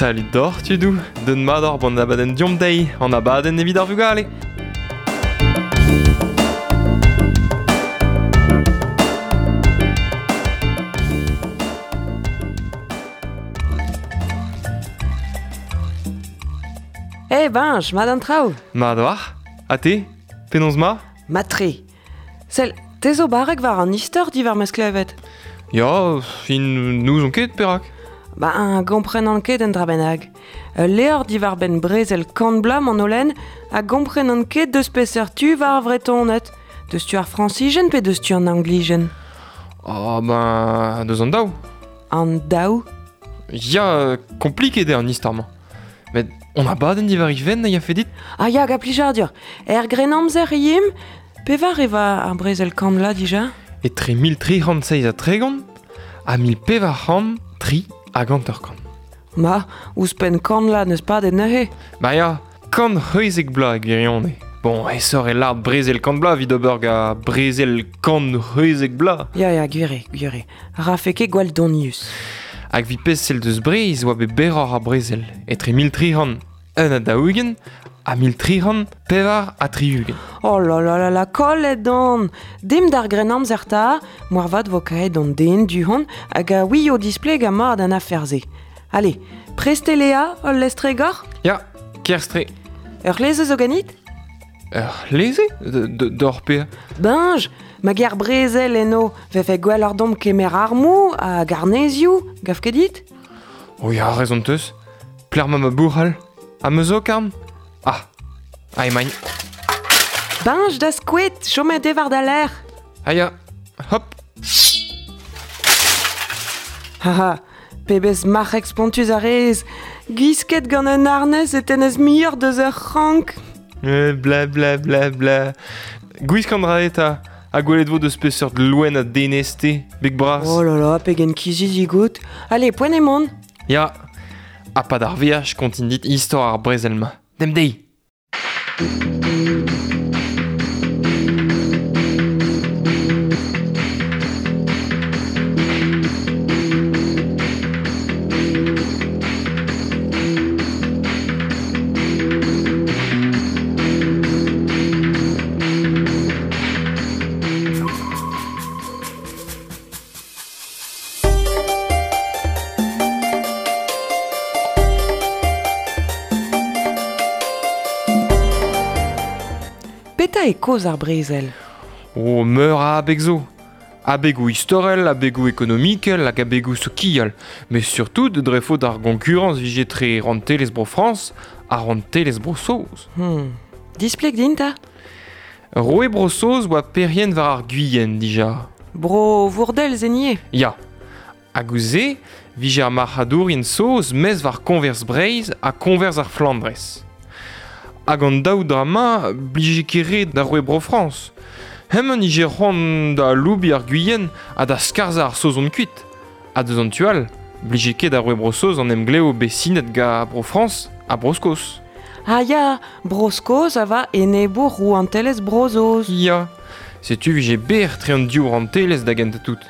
Salut doc'h tudoù, deut mat oc'h bon abadenn Deomp dezhi, an abadenn evit ar vugale. Eh bench, mat an traoù. Mat oc'h? Ha te? Penaos ma? Mat-tre. Sell, te zo barrek war an istor diwar ma sklevet. Ya, fin n'ouzon ket perak. Ba, gomprenan ket un dra bennak. Ul levr diwar-benn brezel kant bloaz m'an olen a gomprenan ket deus peseurt tu war ar Vretoned. Deus tu ar Frañsijen pe deus tu an Anglijen? Ah ben, deus an daou. An daou? Ya, kompliket eo an istor-mañ. Met on abadenn diwar he fenn a yafe dit? Ah ya, gant plijadur. Er Grennamzer e yimp? Pevar e va ar brezel kant vloaz dija? Etre 1337 ha 1453. Ma, ouzhpenn kant vloaz n'eus padet neuze. Ba ya, 116 bloaz e gwirionez. Bon, aesoc'h eo lâret brezel kant bloaz evit ober gant brezel 116 bloaz. Ya, ya, gwir eo, gwir eo. Rafe ket gwall donius. Hag evit pezh sell deus Breizh oa bet berroc'h ar brezel, etre 1341 ha 1364. Oh là là là là, kollet on! Dimp d'ar Grennamzer 'ta, moarvat 'vo kaeet an den du-hont hag a ouio displegañ mat an afer-se. Allez, prest eo Léa, ul lestr-egor? Ya, kerzh-tre. Ur c'hleze zo ganit? Ur c'hleze D'hor pezh? Beñj, ma ger brezel eno, 'vefe gwelloc'h domp kemer armoù hag arnezioù, gav ket dit? Oh ya, rezon 'teus. Plec'h 'ma ma bouc'hal? Ha ma zokarn? Ah, ah emaint. Beñj da skoed, chomet eo war da lerc'h. Ah ya, hop. Haha, pebezh marc'heg spontus a rez. Gwisket gant un harnez e tennez muioc'h deus ur c'hrank. Bla bla bla bla. Gwisk an dra eta, ha gwelet vo deus peseurt loen a denez-te, beg bras. Oh là là, pegen kizidik out. Allez, poent eo mont. Ya, ha pad ar veaj kontin dit istor ar brezel-mañ. Demp dezhi! Petra eo kaoz ar brezel? Oh, meur a abeg zo. Abegoù istorel, abegoù ekonomikel hag abegoù sokial. Met surtout dre faot ar gonkurañs 'vije tre rouantelezh Bro-Frañs ha rouantelezh Bro-Saoz. Displeg din 'ta. Roue Bro-Saoz 'oa perc'henn war ar Guyenne dija. Bro Vourdel, se 'ni eo. Ya. Hag ouzh se 'vije ar marc'hadourien saoz maez war koñvers Breizh ha koñvers ar Flandrez. Hag an daou dra-mañ 'blije ket re da roue Bro-Frañs. Hemañ 'nije c'hoant da aloubiñ ar Guyenne ha da skarzhañ ar Saozon kuit. Ha deus an tu all, 'blije ket da roue Bro-Saoz an emglev bet sinet gant Bro-Frañs ha Bro-Skos. Ah ya, Bro-Skos a va enebour rouantelezh Bro-Saoz. Ya, setu 'vije berr tre an div rouantelezh da gentañ tout.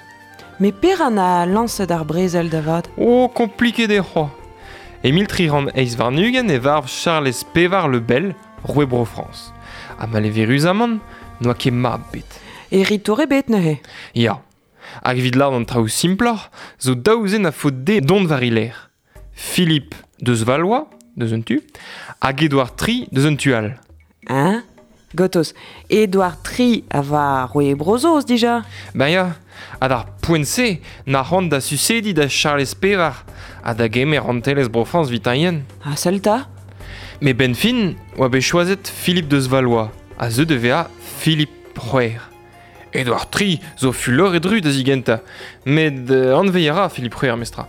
Met perak na lañset ar brezel da vat? Oh, kompliket eo c'hoazh. E 1328 e varv Charlez IV Le Bel, roue Bro-Frañs. Ha maleveruzamant, n'oa ket mab bet. Heritour ebet neuze. Ya. Hag evit lâret an traoù simploc'h, zo daou zen a faot dezhe dont war e lerc'h. Philippe deus Valois, deus un tu, hag Edouard III deus un tu all. Hein? Gotos, Edouard III a va roue Bro-Saoz dija. Ben ya, ha d'ar poent-se, na c'hoant da susediñ da Charlez IV ha da gemer rouantelezh Bro-Frañs 'vitañ Ha sell 'ta. Met 'benn fin oa bet choazet Philippe deus Valois, a zeu da vezañ Philippe C'hwec'h. Edouard III zo fuloret-ru da zigentañ, met anveziñ a ra Philippe C'hwec'h memestra.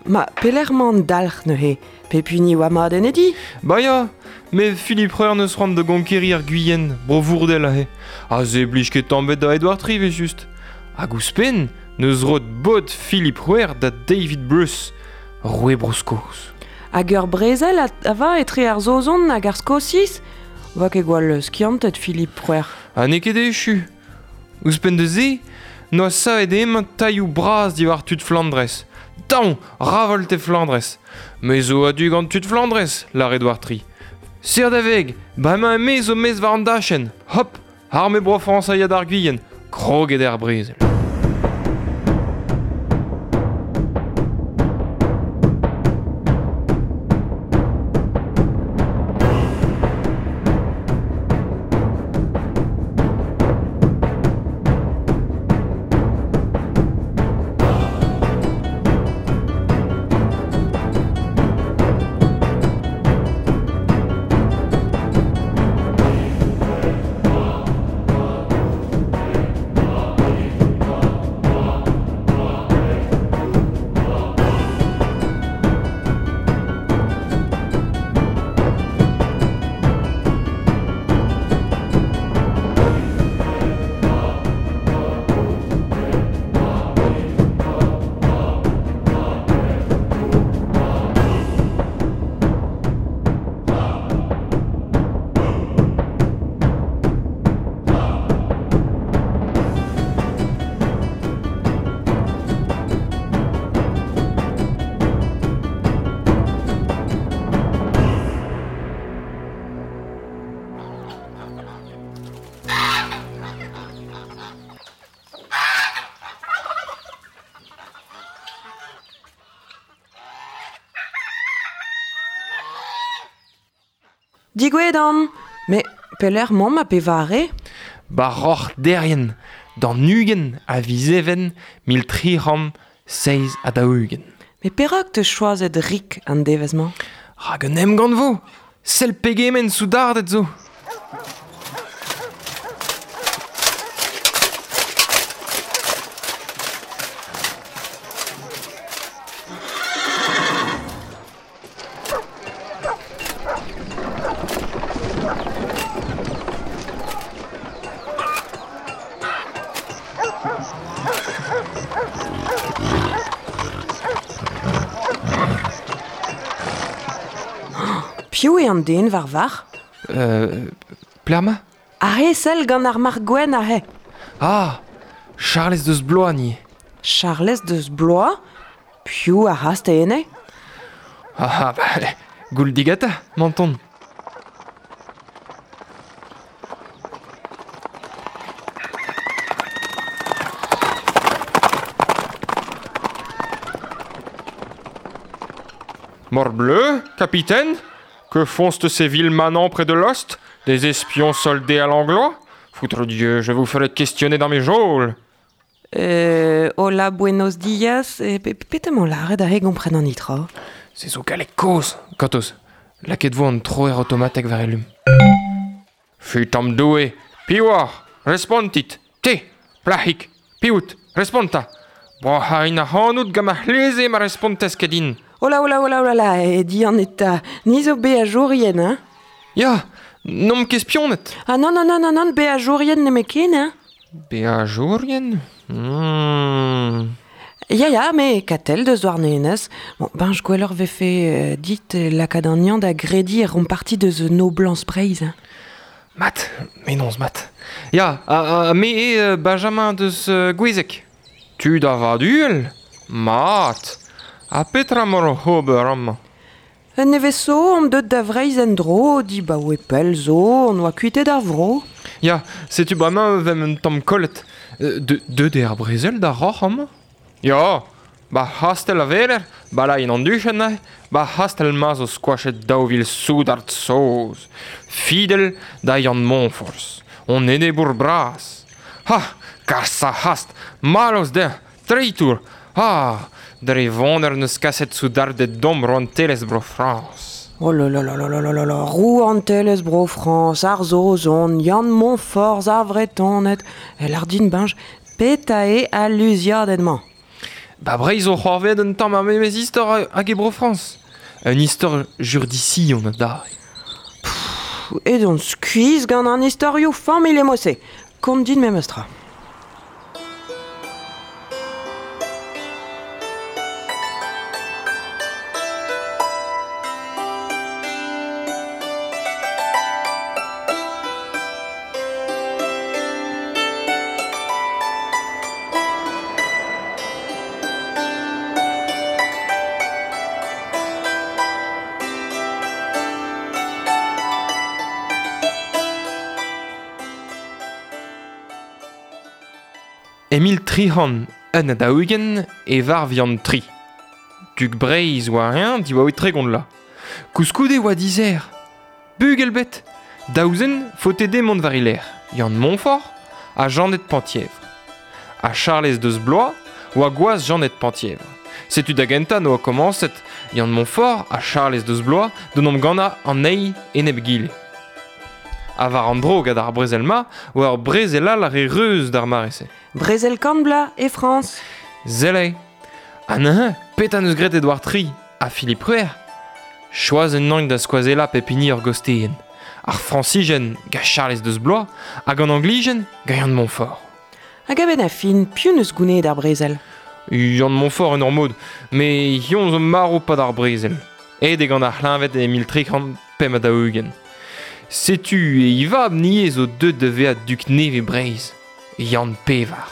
Ma, pelec'h 'mañ an dalc'h neuze? Pep hini oa mat en e di? Ba ya, met Philippe C'hwec'h 'neus c'hoant da gonkeriñ ar Guyenne, bro Vourdel aze. Ha se 'blij ket tamm 'bet da Edouard III evel-just. Hag ouzhpenn, 'neus roet bod Philippe C'hwec'h da David Bruce, roue Bro-Skos. Hag ur brezel a va etre ar Saozon hag ar Skosiz? 'Oa ket gwall skiantet Philippe C'hwec'h. Ha n'eo ket echu. Ouzhpenn da se, 'noa savet hemañ tailhoù bras diwar tud Flandrez. Daon, ravolt e Flandrez. Me zo a-du gant tud Flandrez, lar Edouard Tri. Ser da veg, bremañ me zo mez war an dachenn. Hop, arme Bro-Frañs a ya d'ar Guyenne, kroget eo ar brezel. Digouezhet on Me pelec'h 'maomp ha pevare? Ba roc'h Derrien, d'an 20 a viz Even 1347. Met perak 'teus choazet rik an devezh-mañ? Rak un emgann 'vo! Sell pegement soudarded zo! Piv eo an den war varc'h? Plerma? Aze, sell gant ar marc'h gwenn aze. Ah, Charlez deus Blois ni. Charlez deus Blois? Piv a rast ene? Ah, bah, goul digata, menton. Morbleu, capitaine? Que font ces vils manants près de l'ost? Des espions soldés à l'anglois? Foutre Dieu, je vous ferai questionner dans mes geôles. Hola, buenos dias. Petra emañ lâret aze gompren an itro? Se zo galleg kozh, Gortoz, lakaet vo an troer automatek war elum. Fut Doue, piv oc'h? Respontit, te, plac'hig, piv out? Responta. Broc'hain ac'hanout gant ma c'hleze ma respontez ket din. Hola, hola, hola, hola, la, e dian eta. Ni zo beajourien, hein? Ya, n'omp ket spionet. Ah non, non, non, non, non, beajourien nemetken, hein? Beajourien? Ya, ya, me Katell deus Douarnenez. Bon, ben, je gwelloc'h vefe dit lakaat an Yann da grediñ e romp parti deus noblañs Breizh. Hein. Mat, menoz mat. Ya, ha me eo Benjamin deus Gouezeg. Tud a vad-uhel? Mat. Ha petra emañ oc'h ober amañ? Un nevez zo omp deuet da Vreizh en-dro, dibaoe pell zo, on oa kuitet ar vro. Ya, setu bremañ vemp un tamm kollet. Deuet eo ar brezel da roc'h amañ? Ya, ba c'hastell a weler, ba lain an duchenn neuze, ba c'hastell-mañ zo skoachet 2000 soudard saoz, fidel da Yann Moñforzh, hon enebour bras. Ha, kas ar c'hast, mallozh dezhañ, treitour! Ah, dre voner n'eus kaset soudarded domp rouantelezh Bro-Frañs. Oh là là là là là là là là, rouantelezh Bro-Frañs, ar Saozon, Yann Moñforzh, ar Vretoned, el din Benj, petra eo al luziadenn-mañ? Ba Breizh zo c'hoarvezet un tamm ar memes istor hag e Bro-Frañs. Un istor jurdision adarre. Edon skuizh gant an istorioù familh emo-se. Kont din memes tra. E 1341 e varv Yann Tri. Dug Breizh oa eñ diwar 30 la. Koulskoude oa dizer. Bugel bet. Daou zen faote dezhe mont war e lerc'h, Yann Montfort ha Janed Penthièvre. Ha Charlez deus Blois oa gwaz Janed Penthièvre. Setu da gentañ 'noa komañset Yann Montfort ha Charlez deus Blois d'en em gannañ an eil enep egile. Ha war an dro gant ar brezel-mañ oa ur brezel all a re reuz d'ar mare-se. Brezel kant bloaz e Frañs. Sell eo. Ha neuze, petra 'neus graet Edouard Tri ha Philippe C'hwec'h? Choaz un da skoazellañ pep hini ur gosteenn. Ar Frañsijen gant Charlez deus Blois hag an Anglijen gant Yann Montfort. Hag a-benn ar fin, piv 'neus gounezet ar brezel? Yann Montfort en ur mod, met hiziv zo marv 'pad ar brezel. Aet eo gant ar c'hleñved e 1345. Setu e vab 'ni zo deuet da vezañ dug nevez Breizh, Yann Pevar.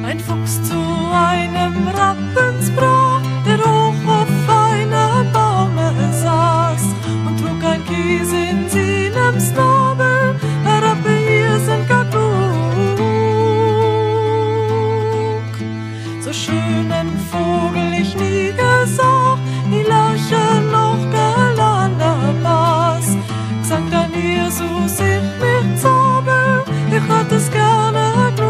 Ein Fuchs zu einem Rappen sprach, der hoch auf einem Baume saß und trug ein Kies in seinem Schnabel, Herr Rappe, hier sind gar klug. So schönen Vogel ich nie gesah, nie Lerche noch gelande Bass. Sank dann Jesus ich nicht zabel, ich hätt es gerne klug.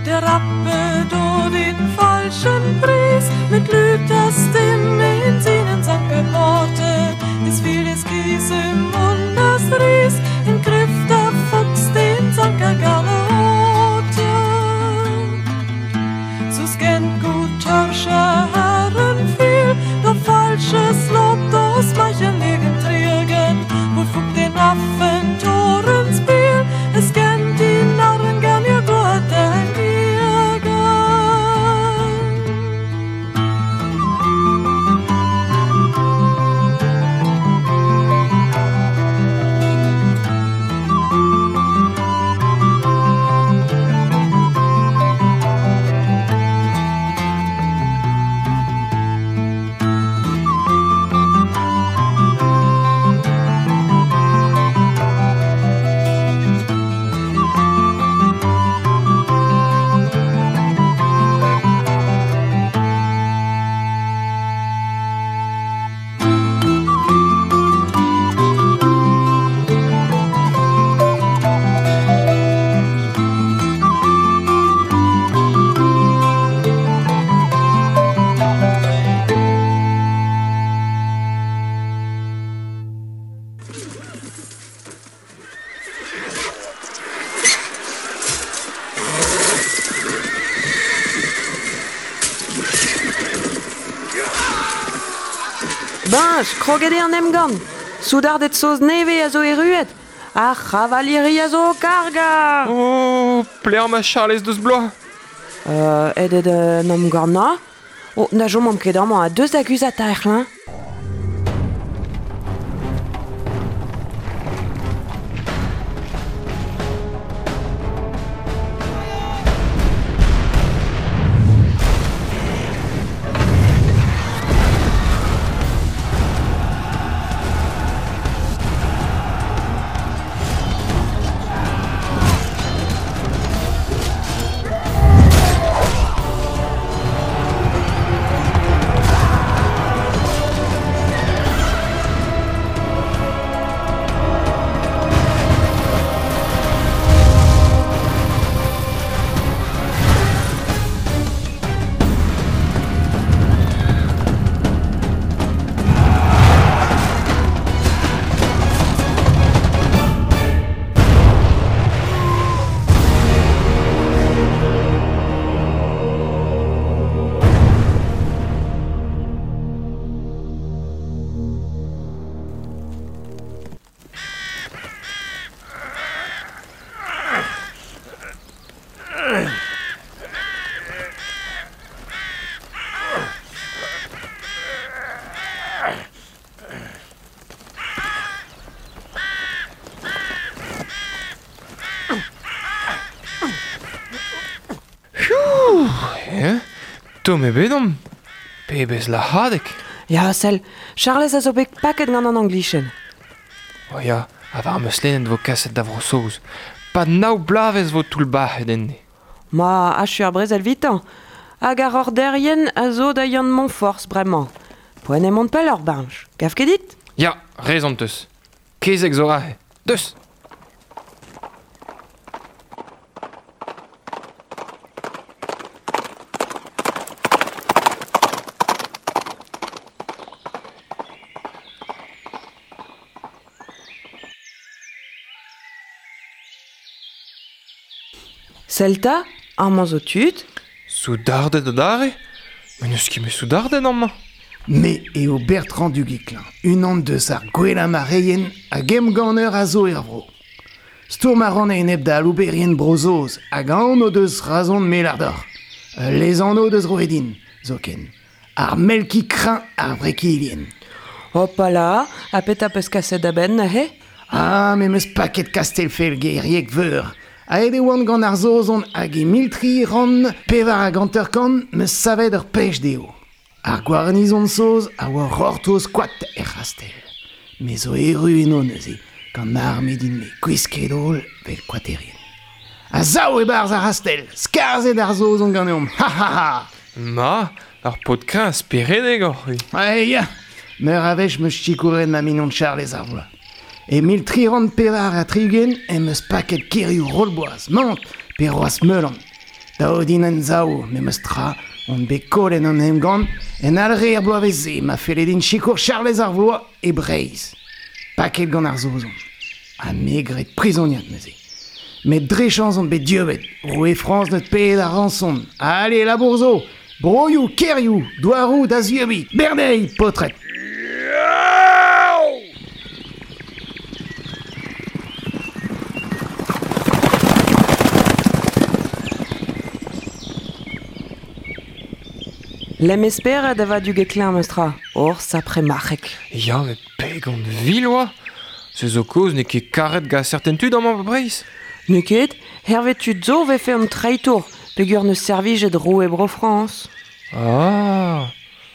Der Rappe do den falschen Pries mit Lüters Stimme in seinen Sank gehorte. Es fiel des Kies im Mund das Ries, in Griff der Fuchs den Sank er gerne horte. So scannt gut Törscher Herren viel, doch falsches Lob das manchen legen triegen, wohl fugt den Affen Torens Biel, es kennt die Narren gern ihr Gott Beñj, kroget eo an emgann. Soudarded saoz nevez a zo erruet. Ar c'havaliri a zo o kargañ. Oh, pleer ma Charlez deus bloaz. Aet eo d'an emgannañ. Oh, na chomomp ket amañ ha deus da guzhat ar c'hlañv. Tomm ebet omp. Pebezh lahadeg. Ya, sell, Charlez a zo bet paket gant an Anglichen. O ya, ha war am eus lennet vo kaset da Vro-Saoz. Pad nav bloavezh vo toullbac'het enne. Ma, achu ar brezel 'vitañ. Hag ar orderien a zo da Yann Moñforzh bremañ. Poent eo mont pelloc'h, Bañch. Gav ket dit? Ya, rezon 'teus. Kezeg zo aze. Deus! Sell 'ta, amañ zo tud. Soudarded adarre? Met n'eus ket met soudarded amañ. Me eo Bertrand du Guesclin, unan deus ar gwellañ marc'heien hag emganner a zo er vro. Stourm a ran a-enep da alouberien Bro-Saoz hag aon o deus razon me lâr deoc'h. Ul lesanv deus roet din, zoken. Ar melki kreñv ar Vrekilien. Hopala, ha petra 'peus kaset da benn neuze? Ah, me 'm eus paket Kastell-Felgerieg Veur. Aet e oan gant ar Saozon hag e 1354 'm eus savet ur pech dezho. Ar gwarnizon saoz a oa gortoz koad er c'hastell. Me zo erru eno neuze, gant ma arme din-me gwisket holl 'vel koaterien. A-sav e-barzh ar c'hastell, skarzhet ar Saozon ganeomp, ha ha ha! Ma, ur paotr kreñv speredek oc'h-c'hwi. Ah ya, meur a wech 'm eus sikouret ma mignon Charlez ar bloaz. E 1364 em eus paket kêrioù Rollboaz, Mantes pe Roasmeulan. Dav din anzav, memes tra, on bet kollet an emgann en Alre er bloavezh-se ma felle din sikour Charlez ar Vloaz e Breizh. Paket gant ar Saozon. Ha me graet prizoniad neuze. Met dre chañs on bet dieubet. Roue Frañs neus paeet ar ranson. Ale, labour zo! Broioù, kêrioù, douaroù da zieubiñ! Bernez, paotred! Lemm e spered a va Duguesclin meus-tra, hor sapre marc'heg. Ya, met pegont vil oa Se zo kaoz n'eo ket karet gant serten tud amañ ba Breizh. N'eo ket, hervez tud zo 'vefe an treitour peogwir 'neus servijet roue Bro-Frañs. Ah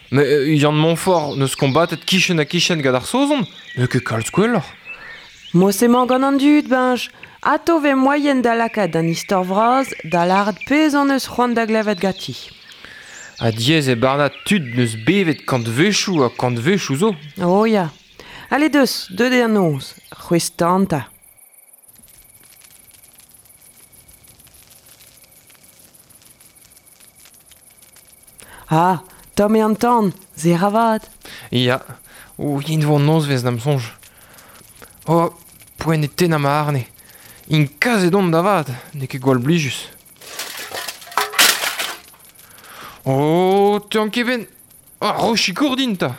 Mais Yann Montfort 'neus kombatet kichen-ha-kichen gant ar Saozon, n'eo ket kalz gwelloc'h. Mod-se 'mañ gant an dud, Beñj. Atao 'vez moaien da lakaat an istor vras da lâret pezh hon eus c'hoant da glevet ganti. Ha diaes eo barnañ tud 'neus bevet kantvechoù ha kantvechoù zo. Oh ya. Ale deus, deuet eo an noz. C'hwezh tan 'ta. Ah, tomm eo an tan, se ra vat. Ya, o yen vo an nozvezh da'm soñj. Oh, poent eo tennañ ma arne. Int kaset on da vat, n'eo ket gwall blijus. Oh, 'teuan ket 'benn. Ah, ro sikour din 'ta.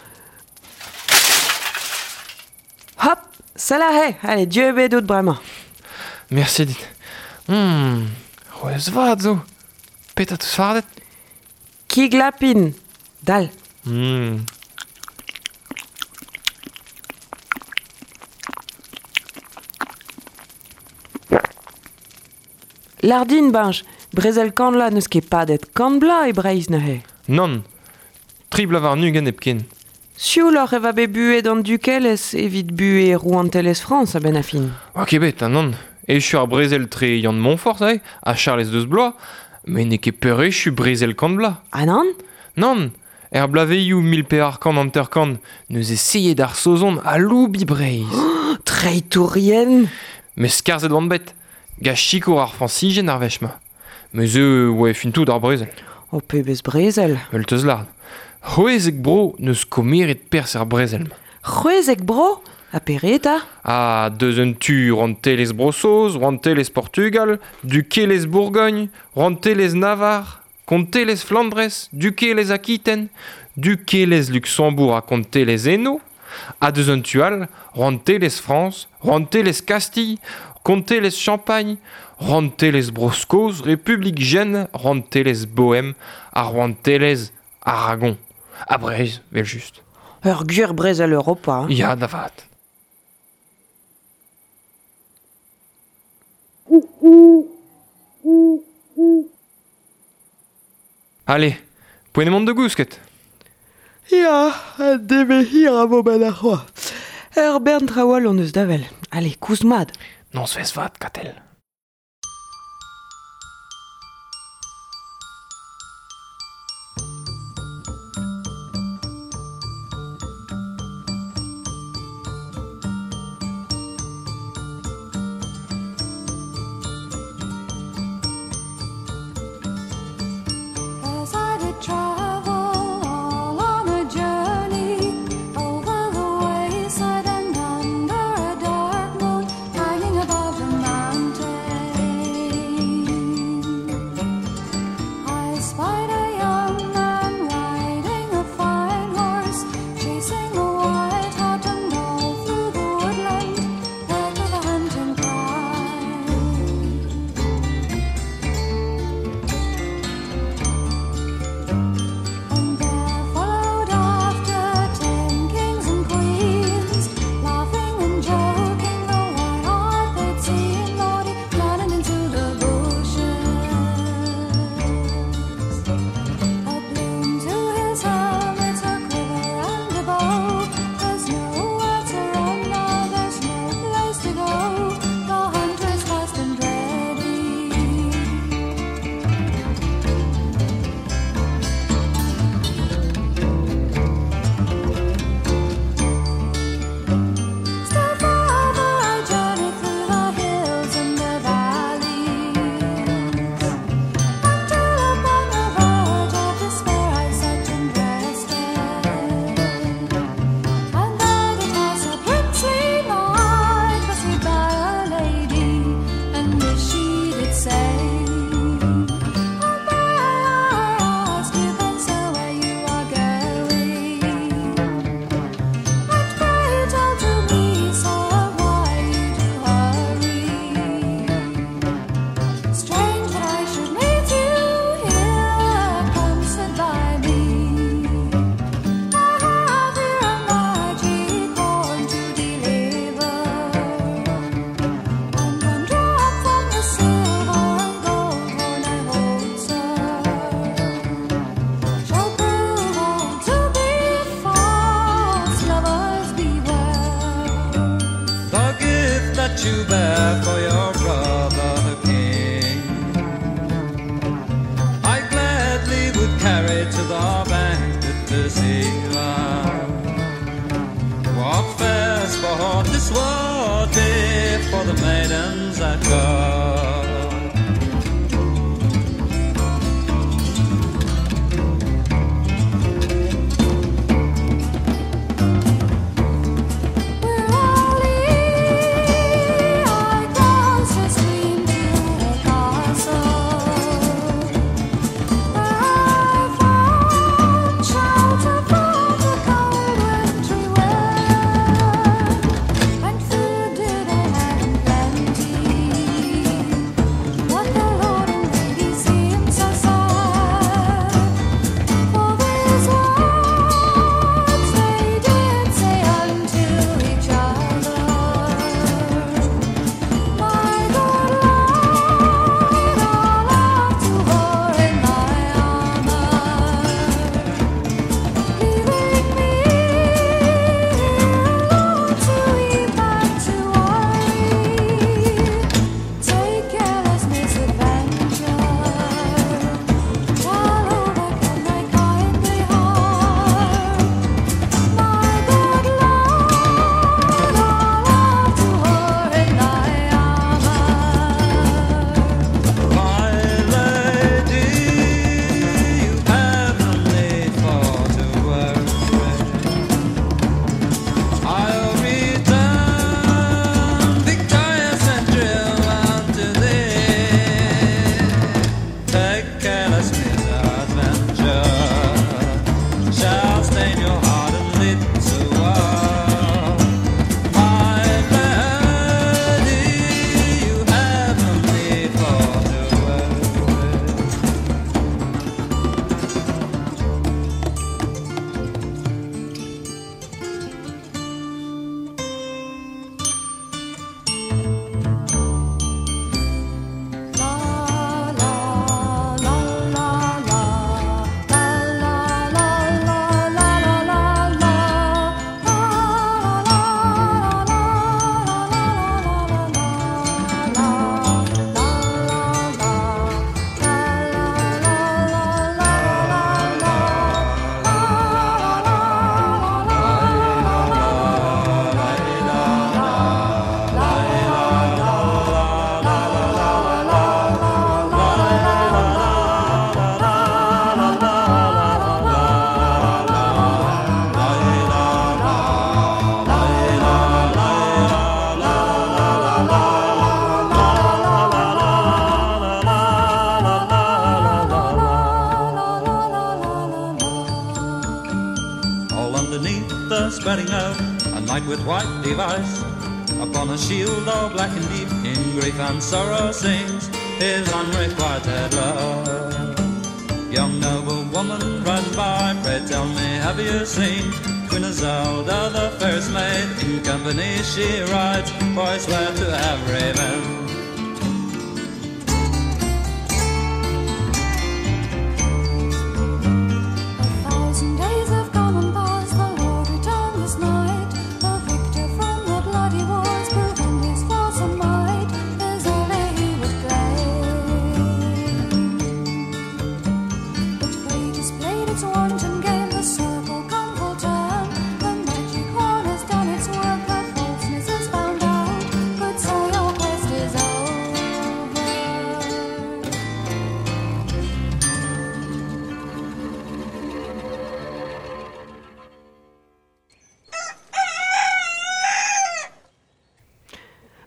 Hop, sell aze, allez, dieubet out bremañ. Merci dit. C'hwezh vat zo. Petra 'teus fardet? Kig lapin. Dal. Lâr din, Beñj, brezel Kanla n'eus ket padet kant bloaz e Breizh neuze. Nann, tri bloaz warn-ugent hepken. Siouloc'h e va bet buhez d'an dukelezh evit buhez rouantelezh Frañs a-benn ar fin. Oa ket bet, ha nann. Echu ar brezel tre Yann Moñforzh aze ha Charlez deus Blois, met n'eo ket peurechu brezel kant bloaz. Ah nann? Nann, er bloavezhioù 1450 n'eus eseet ar Saozon aloubiñ Breizh. Treitourien! Met skarzhet oant bet, gant sikour ar Frañsizien ar wech-mañ. Met se oa fin tout ar brezel. Oh, pebezh brezel! Ul teus lard. C'hwezek bro n'eus komeret perzh er brezel-mañ. 16 bro? Ha pere 'ta? Ha deus un tu rouantelezh Bro-Saoz, rouantelezh Portugal, dukelezh Bourgogn, rouantelezh Navarre, kontelezh Flandrez, dukelezh Akiten, dukelezh Luksembourg ha kontelezh Hainaut, ha deus un tu all, rouantelezh Frañs, rouantelezh Kastilh, kontelezh Champagn, rouantelezh Bro-Skos, Republik Jen, rouantelezh Bohem ha rouantelezh Aragon. Ha Breizh, evel-just. Ur gwir brezel Europa. Hein. Ya, da vat. Ale, Poent eo mont da gousket. Ya, un devezh hir a vo 'benn arc'hoazh. Ur bern traoù all hon eus da wel. Ale, kousk mat. Nozvezh vat, Katell. As I did travel all on a journey over the wayside and under a dark moon hanging above the mountain, I spied a young man riding a fine horse, chasing a white hart and all through the woodland there to the hunting cry. And there followed after 10 kings and queens, laughing and joking, the white hart they'd seen, lordy, running into the bushes. A plume to his helmet, a quiver and a bow. There's nowhere to run now, there's no place to go. The hunter's fast and ready. Still farther I journeyed through the hills and the valleys, until upon the verge of despair I sat and rested. And there did pass a princely knight, pursued by a lady, and this she did say: Oh, may I ask you, kind sir, where you are going? And pray tell to me, sir, why you do hurry. Strange that I should meet you here, come sit by me. I have here a magic horn to deliver, and one drop from the silver and gold horn I hold, sir, shall prove all to be false. Lovers beware. The gift that you bear for your brother the king, I gladly would carry to the bank at the sea. What fair sport this would be for the maidens at court. Wearily I crossed a stream to a castle, where I found shelter from the cold wintry wind, and food did I have in plenty. knight with white device, upon a shield all black and deep, in grief and sorrow sings his unrequited love. Young noble woman riding by, pray tell me, have you seen Queen Isolde, the fairest maid? In company she rides, for I swear to have revenge. 1,000 days have gone and past, the Lord returned this night, the victor from the bloody wars, proving his force and might, Isolde he would claim. But fate has played its wanton game, the circle come full turn, the magic horn has done its work, her falseness is found out, good sir, your quest is over.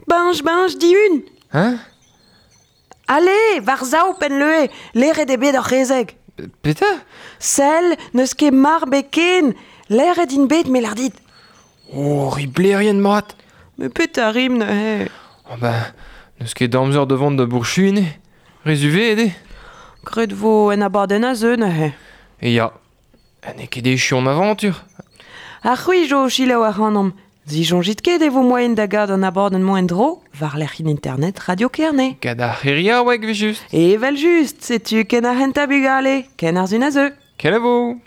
Benj, benj, dihun. Hein? Ale, war zao penn leue, leret eo bet ar c'hezeg. Petra? Sell, n'eus ket mar bet ken, leret int bet me lar dit. Oh, riblerien mat. Me petra rim neuze. Oh ben, n'eus ket amzer da vont da bourchuin eo. Rezuvet eo. Gret vo en abadenn a zeu neuze. E ya, n'eo ket echu an aventur. Ar c'hwi jo selaou ac'hanomp. Zisoñjit ket e vo moaien da gad an abadenn-mañ en-dro war lec'hienn internet Radio Kerne. Gant ar c'heriaoueg evel just. Evel just, setu ken ar c'hentañ bugale, ken ar sun a zeu. Kenavo!